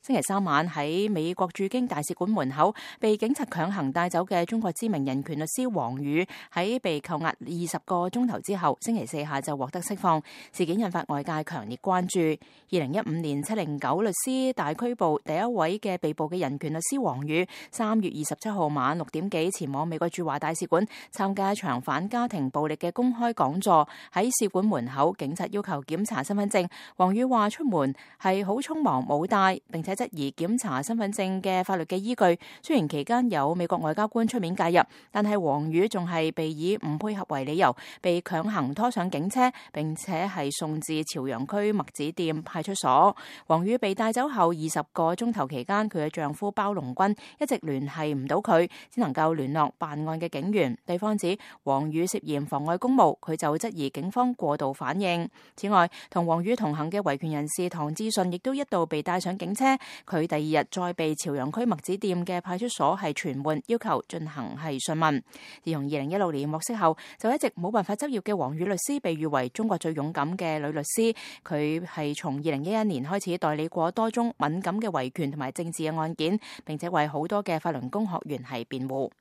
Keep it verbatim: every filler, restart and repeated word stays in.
星期三晚喺美國駐京大使館門口被警察強行帶走嘅中國知名人權律師王宇，喺被扣押二十個鐘頭之後，星期四下晝獲得釋放。事件引發外界強烈關注。二零一五年七零九律師大拘捕第一位嘅被捕嘅人權律師王宇，三月二十七號晚六點幾前往美國駐華大使館參加一場反家庭暴力嘅公開講座。喺使館門口，警察要求檢查身份證，王宇話出門係好匆忙冇帶，並且質疑檢查身份證嘅法律嘅依據。雖然期間有美國外交官出面介入，但係王宇仲係被以唔配合為理由，被強行拖上警車，並且係送至朝陽區麥子店派出所。王宇被帶走後二十個鐘頭期間，佢嘅丈夫包龍軍一直聯繫唔到佢，只能夠聯絡辦案嘅警員。對方指王宇涉嫌妨礙公務，佢就質疑警方過度反應。此外，同王宇同行嘅維權人士唐志順亦都一度被帶上警車，佢第二日再被朝陽區麥子店嘅派出所係傳喚，要求進行係訊問。自從二零一六年獲釋後，就一直冇辦法執業嘅王宇律師，被譽為中國最勇敢嘅女律師。佢係從二零一一年開始代理過多宗敏感嘅維權同埋政治嘅案件，並且為好多嘅法輪功學員係辯護。